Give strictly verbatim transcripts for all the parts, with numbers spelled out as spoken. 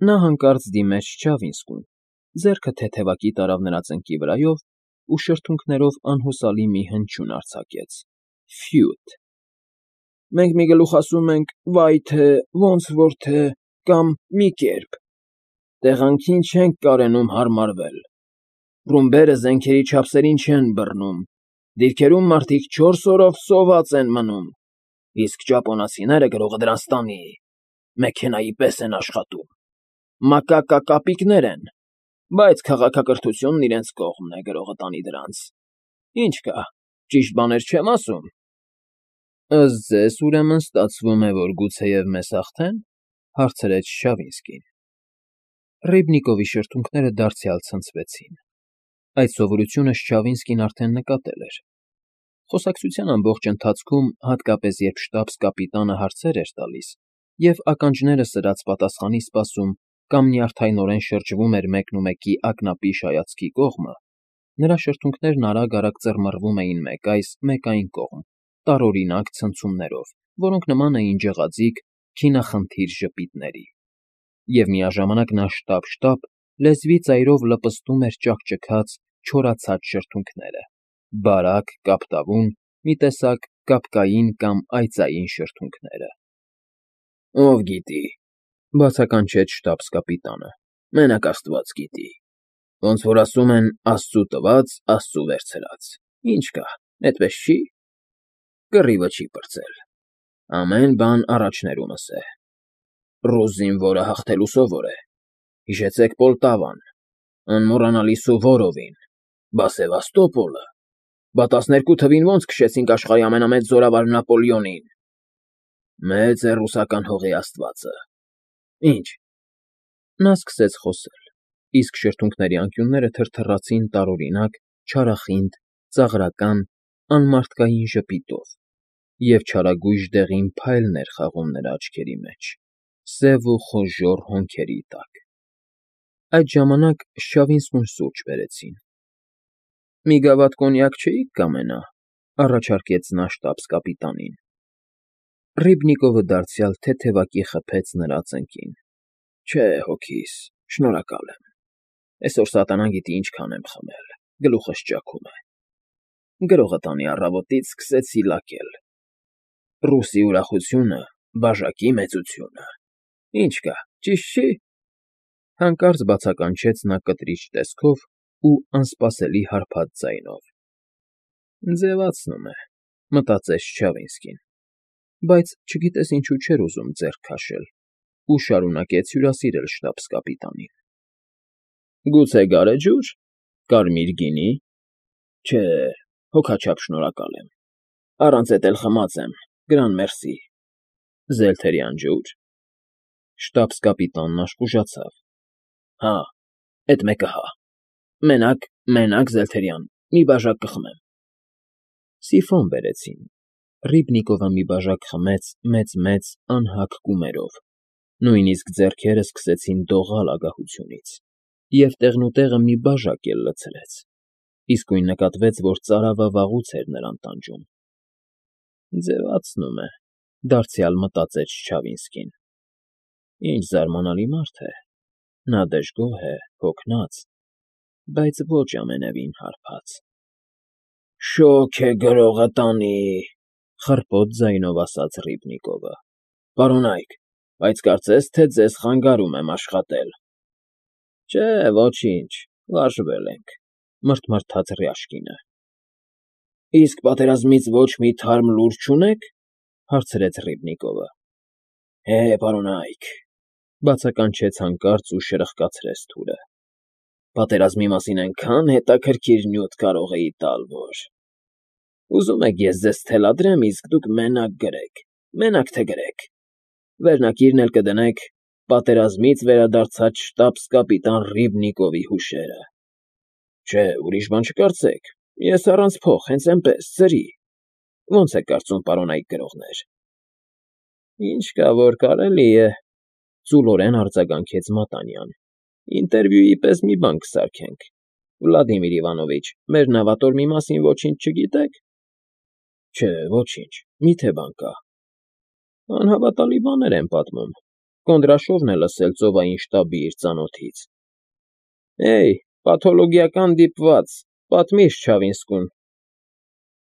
Նա հանկարծ դիմեց Չչավինսկուն, ձեռքը թեթևակի տարավ նրա ծնկի վրայով ու շրթունքներով անհուսալի մի հնչյուն արձակեց. «Ֆյութ»։ Մենք մի գլուխ ասում ենք «վայ թե», «ոնց որ թե» կամ «մի կերպ», տեղանքին չենք կարենում հարմարվել, ռումբերը զենքերի չափսերին չեն բռնում, դիրքերում մարդիկ չորս օրով սոված են մնում, իսկ ճապոնացիները գրողը դրանց տանի, մեքենայի պես են աշխատում, մակակակապիկներ են, բայց քաղաքակրթությունն իրենց կողմն է, գրողը տանի դրանց, ինչ կա, ճիշտ բաներ չեմ ասում։ ֊ Ըստ ձեզ, ուրեմն, ստացվում է, որ գուցեև մեզ հաղթե՞ն,֊ հարցրեց Չչավինսկին։ Ռիբնիկովի շրթունքները դարձյալ ցնցվեցին. այդ սովորությունը Չչավինսկին արդեն նկատել էր։ Խոսակցության ամբողջ ընթացքում, հատկապես երբ շտաբս֊կապիտանը հարցեր էր տալիս և ականջները սրած պատասխանի սպասում կամ նյարդայնորեն շրջվում էր մեկնումեկի ակնապիշ հայացքի կողմը, նրա շրթունքներն արագ֊արագ ծռմռվում էին մեկ այս, մեկ այն կողմ, տարօրինակ ցնցումներով, որոնք նման էին ջղաձիգ, քինախնդիր ժպիտների։ Եվ միաժամանակ նա շտապ֊շտապ, լեզվի ծայրով լպստում էր ճաքճքած, չորացած շրթունքները, բարակ, կապտավուն, մի տեսակ կապկային կամ այծային շրթունքները։ ֊ Ով գիտի,֊ բացականչեց շտաբս֊կապիտանը,֊ մենակ աստված գիտի, ոնց որ ասում են, աստծու տված, աստծու վերցրած, ինչ կա, էդպես չի՞, կռիվը չի պրծել, ամեն բան առաջներումս է, ռուս զինվորը հաղթելու սովոր է, հիշեցեք Պոլտավան, անմոռանալի Սուվորովին, բա Սևաստոպոլը, բա տասներկու թվին ո՞նց քշեցինք աշխարհի ամենամեծ զորավար Նապոլեոնին, մեծ է ռուսական հողի աստվածը, ինչ… Նա սկսեց խոսել, իսկ շրթունքների անկյունները թրթռացին տարօրինակ, չարախինդ, ծաղրական, անմարդկային ժպիտով, և չարագույժ դեղին փայլն էր խաղում նրա աչքերի մեջ, սև ու խոժոռ հոնքերի տակ։ Այդ ժամանակ Չչավինսկուն սուրճ բերեցին։ ֊ Մի գավաթ կոնյակ չէի՞ք կամենա,֊ առաջարկեց նա շտաբս֊կապիտանին։ Ռիբնիկովը դարձյալ թեթևակի խփեց նրա ծնկին։ ֊ Չէ, հոգիս, շնորհակալ եմ, այսօր սատանան գիտի ինչքան եմ խմել, գլուխս ճաքում է։ Գրողը տանի առավոտից սկսեցի լակել։ Ռուսի ուրախությունը, բաժակի մեծությունը, ինչ կա, ճիշտ չի… Հանկարծ բացականչեց նա կտրիչ տեսքով ու անսպասելի հարբած ձայնով։ «Ձևացնում է,֊ մտածեց Չչավինսկին, բայց չգիտես ինչու չէր ուզում ձեռք քաշել ու շարունակեց հյուրասիրել շտաբս֊կապիտանին։ ֊ Գուցե գարեջո՞ւր, կարմիր գինի… Չէ, հոգաչափ շնորհակալ եմ, առանց էդ էլ խմած եմ, գրան մերսի… Զելթերյան ջո՞ւր… Շտաբս֊կապիտանն աշխուժացավ։ ֊ Հա, էդ մեկը հա… Մենակ, մենակ զելթերյան, մի բաժակ կխմեմ… Սիֆոն բերեցին, Ռիբնիկովը մի բաժակ խմեց մեծ֊մեծ, անհագ կումերով, նույնիսկ ձեռքերը սկսեցին դողալ ագահությունից, և տեղնուտեղը մի բաժակ էլ լցրեց, իսկույն նկատվեց, որ ծարավը վաղուց էր նրան տանջում։ «Ձևացնում է,֊ դարձյալ մտածեց Չչավինսկին,֊ ինչ զարմանալի մարդ է, նա դժգոհ է, հոգնած, բայց ոչ ամենևին հարբած»։ ֊ Շոգ է գրողը տանի,֊ խռպոտ ձայնով ասաց Ռիբնիկովը,֊ պարոնայք, բայց կարծես թե ձեզ խանգարում եմ աշխատել։ ֊ Չէ, ոչինչ, վարժվել ենք,֊ մռթմռթաց Ռյաշկինը։ ֊ Իսկ պատերազմից ոչ մի թարմ լուր չունե՞ք,֊ հարցրեց Ռիբնիկովը։ ֊ Հե, պարոնայք,֊ բացականչեց հանկարծ ու շրխկացրեց թուրը,֊ պատերազմի մասին այնքան հետաքրքիր նյութ կարող էի տալ, որ… Ուզում եք ես ձեզ թելադրեմ, իսկ դուք մենակ գրեք, մենակ թե գրեք, վերնագիրն էլ կդնեք «Պատերազմից վերադարձած շտաբս֊կապիտան Ռիբնիկովի հուշերը»։ Չէ, ուրիշ բան չկարծեք, ես առանց փող, հենց այնպես, ծրի… Ո՞նց եք կարծում, պարոնայք գրողներ… ֊ Ինչ կա որ կարելի է,֊ ծուլորեն արձագանքեց Մատանյան,֊ ինտերվյուի պես մի բան կսարքենք… Վլադիմիր Իվանովիչ, մեր նավատորմի մասին ոչինչ չգիտե՞ք։ ֊ Չէ, ոչինչ, մի՞թե բան կա։ ֊ Անհավատալի բաներ են պատմում, Կոնդրաշովն է լսել ծովային շտաբի իր ծանոթից։ Էյ, պաթոլոգիական դիպված, պատմիր Չավինսկուն։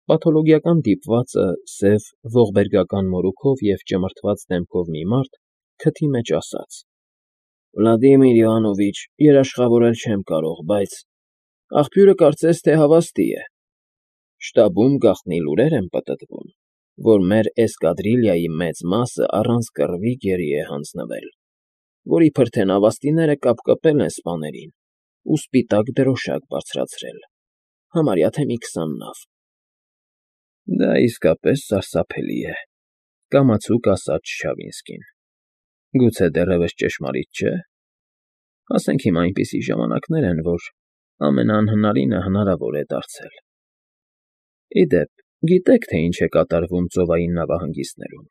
Պաթոլոգիական դիպվածը սև ողբերգական մորուքով և ճմրթված դեմքով մի մարդ քթի մեջ ասաց. Վլադիմիր Իվանովիչ, երաշխավորել չեմ կարող, բայց աղբյուրը կարծես թե հավաստի է։ Շտաբում գաղտնի լուրեր են պտտվում, որ մեր էսկադրիլիայի մեծ մասը առանց կռվի գերի է հանձնվել, որ իբր թե նավաստիները կապկպել են սպաներին ու սպիտակ դրոշակ բարձրացրել, համարյա թե մի քսան նավ։ Դա իսկապես սարսափելի է, կամացուկ ասաց Չավինսկին։ Գուցե դեռևս ճշմարիտ չէ։ Ասենք հիմա այնպիսի ժամանակներ են, որ ամենաանհնարինը հնարավոր է դարձել։ Ի դեպ, գիտեք, թե ինչ է կատարվում ծովային նավահանգիստներում։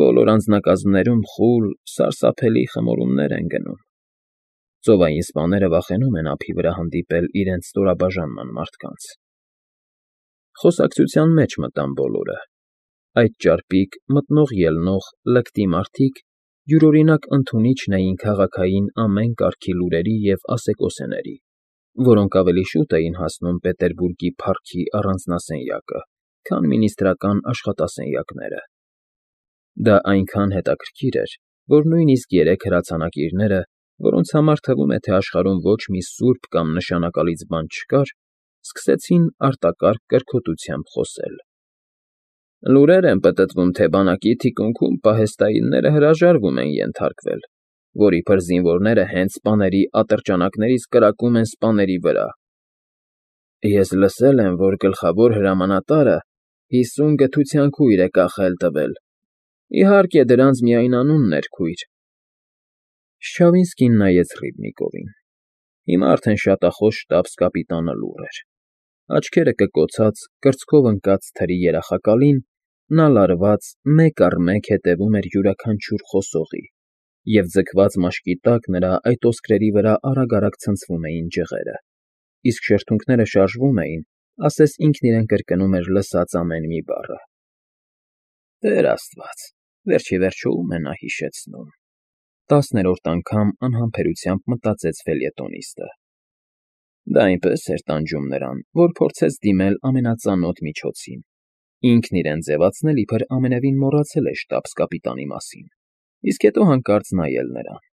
Բոլոր անձնակազմներում խուլ, սարսափելի խմորումներ են գնում։ Ծովային սպաները վախենում են ափի վրա հանդիպել իրենց ստորաբաժանման մարդկանց։ Խոսակցության մեջ մտան բոլորը։ Այդ ճարպիկ, մտնող֊ելնող, լկտի մարդիկ յուրօրինակ ընդունիչն էին քաղաքային ամեն կարգի լուրերի և ասեկոսեների, որոնք ավելի շուտ էին հասնում Պետերբուրգի փառքի առանձնասենյակը, քան մինիստրական աշխատասենյակները։ Դա այնքան հետաքրքիր էր, որ նույնիսկ երեք հրացանակիրները, որոնց համար թվում է, թե աշխարհում ոչ մի սուրբ կամ նշանակալից բան չկար, սկսեցին արտակարգ կրքոտությամբ խոսել։ Լուրեր են պտտվում, թե բանակի թիկունքում պահեստայինները հրաժարվում են ենթարկվել, որ իբր զինվորները հենց սպաների ատրճանակներից կրակում են սպաների վրա։ Ես լսել եմ, որ գլխավոր հրամանատարը հիսուն գթության քույր է կախել տվել։ Իհարկե, դրանց միայն անունն էր քույր։ Չավինսկին նայեց Ռիբնիկովին։ Հիմա արդեն շատախոս շտաբս֊կապիտանը լուռ էր։ Աչքերը կկոցած, կրծքով ընկած թրի երախակալին նա լարված մեկ առ մեկ հետևում էր յուրաքանչյուր խոսողի, և ձգված մաշկի տակ նրա այդ ոսկրերի վրա արագ֊արագ ցնցվում էին ջղերը, իսկ շրթունքները շարժվում էին, ասես ինքն իրեն կրկնում էր լսած ամեն մի բառը։ Տեր Աստված, վերջ ի վերջո ում է նա հիշեցնում, տասներորդ անգամ անհամբերությամբ մտածեց ֆելյետոնիստը։ Դա այնպես էր տանջում նրան, որ փորձեց դիմել ամենածանոթ միջոցին, ինքն իրեն ձևացնել, իբր ամենևին մոռացել է շտաբս֊կապիտանի մասին, իսկ հետո հանկարծ նայել նրան։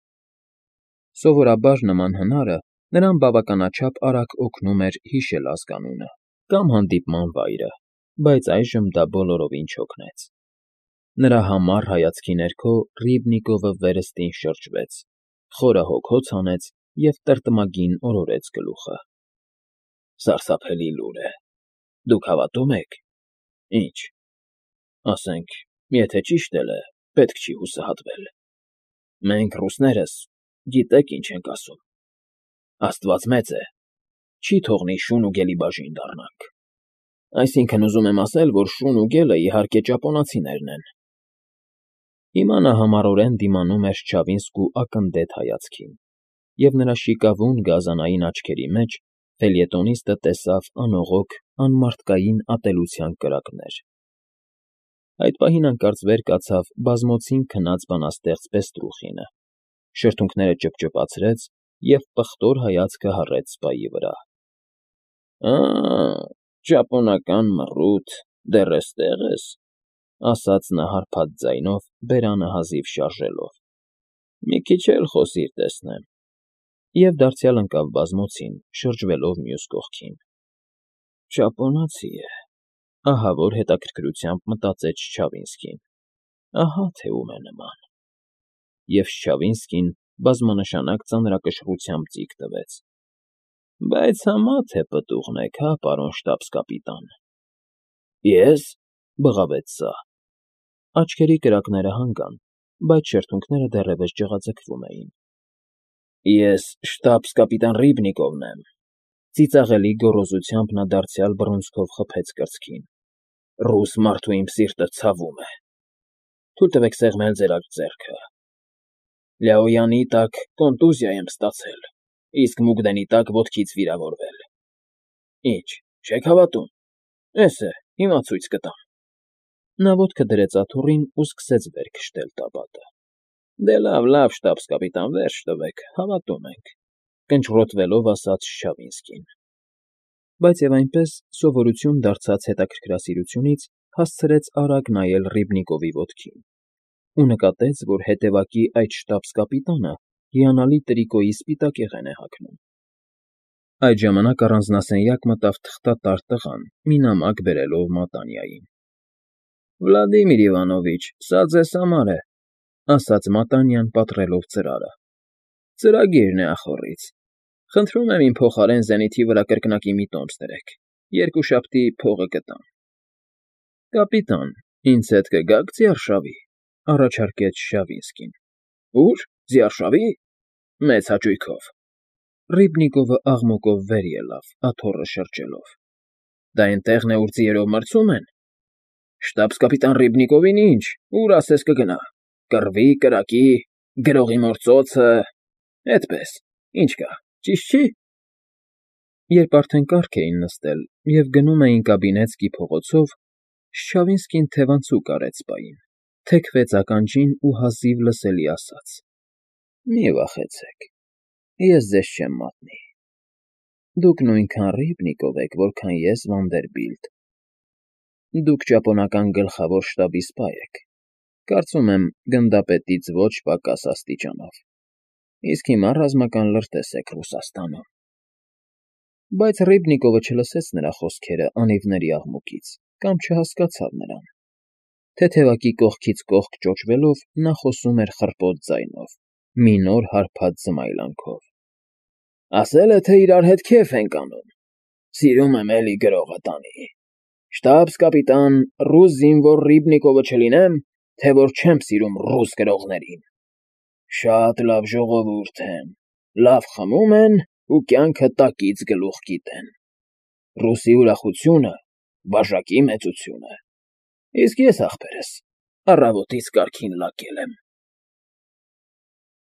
Սովորաբար նման հնարը նրան բավականաչափ արագ օգնում էր հիշել ազգանունը կամ հանդիպման վայրը, բայց այժմ դա բոլորովին չօգնեց։ Նրա համառ հայացքի ներքո Ռիբնիկովը վերստին շրջվեց, խորը հոգոց հանեց և տրտմագին օրորեց գլուխը։ Սարսափելի լուր է։ Դուք հավատո՞ւմ եք։ Ինչ։ Ասենք, եթե ճիշտ էլ է, պետք չի հուսահատվել։ Մենք, ռուսներս, գիտեք ինչ ենք ասում. Աստված մեծ է, չի թողնի շուն ու գելի բաժին դառնանք։ Այսինքն ուզում եմ ասել, որ շուն ու գելը, իհարկե, ճապոնացիներն են։ Հիմա նա համառորեն դիմանում էր Չավինսկու ակնդետ հայացքին, և նրա շիկավուն գազանային աչքերի մեջ ֆելյետոնիստը տեսավ անողոք, անմարդկային ատելության կրակներ։ Այդ պահին հանկարծ վեր կացավ բազմոցին քնած բանաստեղծ Պեստրուխինը, շրթունքները ճպճպացրեց և պղտոր հայացքը հառեց սպայի վրա։ Ա՜, ճապոնական մռութ, դեռ էստեղ ես, ասաց նա հարբած ձայնով, բերանը հազիվ շարժելով։ Մի քիչ էլ խոսիր, տեսնեմ։ Եվ դարձյալ ընկավ բազմոցին, շրջվելով մյուս կողքին։ Ճապոնացի է, ահավոր հետաքրքրությամբ մտածեց Չավինսկին։ Ահա թե ում է նման։ Եվ Չավինսկին բազմանշանակ ծանրակշռությամբ ծիկ տվեց։ Բայց համա թե պտուղն եք, հա, պարոն շտաբս֊կապիտան։ Ե՞ս, բղավեց սա։ Աչքերի կրակները հանգան, բայց շրթունքները դեռևս ջղաձգվում էին։ Ես շտաբս֊կապիտան Ռիբնիկովն եմ։ Ծիծաղելի գոռոզությամբ նա դարձյալ բռունցքով խփեց կրծքին։ Ռուս մարդու իմ սիրտը ցավում է։ Թույլ տվեք սեղմել ձեր աջ ձեռքը։ Լյաոյանի տակ կոնտուզիա եմ ստացել, իսկ Մուգդենի տակ ոտքից վիրավորվել։ Ինչ, չեք հավատում։ Էս է, հիմա ցույց կտամ։ Նա ոտքը դրեց աթոռին ու սկսեց վեր քշել տաբատը։ Դե լավ, լավ, շտաբս֊կապիտան, վերջ տվեք, հավատում ենք,֊ կնճռոտվելով ասաց Չչավինսկին։ Բայց և այնպես, սովորություն դարձած հետաքրքրասիրությունից, հասցրեց արագ նայել Ռիբնիկովի ոտքին ու նկատեց, որ հետևակի այդ շտաբս֊կապիտանը հիանալի տրիկոյի սպիտակեղեն է հագնում։ Այդ ժամանակ առանձնասենյակ մտավ թղթատար տղան, մի նամակ բերելով Մատանյային։ ֊ Վլադիմիր Իվանովիչ, սա ձեզ համար է,֊ ասաց Մատանյան, պատռելով ծրարը,֊ ծրագիրն է ախոռից. խնդրում եմ իմ փոխարեն զենիթի վրա կրկնակի մի տոմս դրեք, երկուշաբթի փողը կտամ։ ֊ Կապիտան, ինձ հետ կգա՞ք ձիարշավի,֊ առաջարկեց Շավինսկին։ ֊ Ո՞ւր, ձիարշավի… Մեծ հաճույքով… Ռիբնիկովը աղմուկով վեր ելավ, աթոռը շրջելով։ ֊ Դա էնտեղն է, ուր ձիերով մրցում են… Շտաբս֊կապիտան Ռիբնիկովին ինչ, ուր ասես կգնա… Կռվի, կրակի, գրողի մոր ծոցը… Էդպես, ինչ կա, ճիշտ չի… Երբ արդեն կառք էին նստել և գնում էին կաբինետսկի փողոցով, Շչավինսկին թևանցուկ արեց պային, թեքվեց ականջին ու հազիվ լսելի ասաց. ֊ Մի վախեցեք, ես ձեզ չեմ մատնի… Դուք նույնքան Ռիբնիկով եք, որքան ես Վանդերբիլտ… Դուք ճապոնական գլխավոր շտաբի սպա եք, կարծում եմ, գնդապետից ոչ պակաս աստիճանով, իսկ հիմա ռազմական լրտես եք Ռուսաստանում… Բայց Ռիբնիկովը չլսեց նրա խոսքերը անիվների աղմուկից կամ չհասկացավ նրան. թեթևակի կողքից կողք ճոճվելով՝ նա խոսում էր խռպոտ ձայնով, մի նոր հարբած զմայլանքով. Ասել է, թե իրար հետ քեֆ ենք անում… Սիրում եմ էլի գրողը տանի… Շտաբս֊կապիտան, ռուս զինվոր Ռիբնիկովը չլինեմ, թե որ չեմ սիրում ռուս գրողներին… Շատ լավ ժողովուրդ են, լավ խմում են ու կյանքը տակից գլուխ գիտեն… Ռուսի ուրախությունը բաժակի մեծություն է… Իսկ ես, ախպերս, առավոտից կարգին լակել եմ…